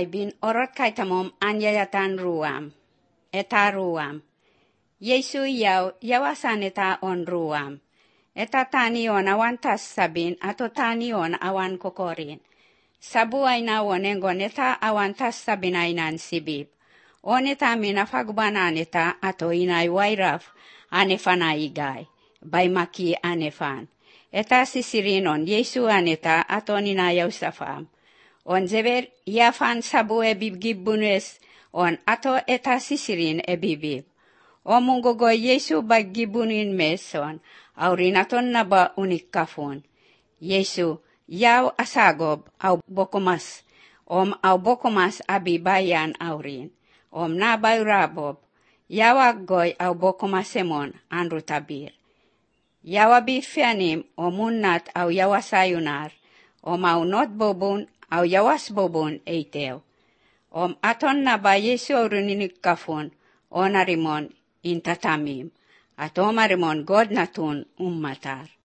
bin orot kaitamom anyayatan ruam. Eta ruam. Yesu yawasan eta on ruam. Eta tanion awan tas sabin ato tanion awan kokorin. Sabu aina wonengon eta awan tas sabin ainan sibib. On eta minafagbanan eta ato inay wairaf anefana igay. Baymaki anefan. Eta sisirinon Yesu aneta ato ninayaw safam. On zeber yafan sabu ebibgibunes on ato eta sisirin ebibib. O mungogo Yesu baggibunin meson, aurinaton na ba unikafon. Yesu, yaw asagob au bokomas, au bokomas abibayan aurin. Nabay rabob, yaw aggoy au bokomasemon anrutabir. Yaw abifianim munnat au yawasayunar, au not bobun au yawas bobun eitew. Aton na ba Yesu aurinikafon, onarimon intatamim, at omarimon God natun ummatar.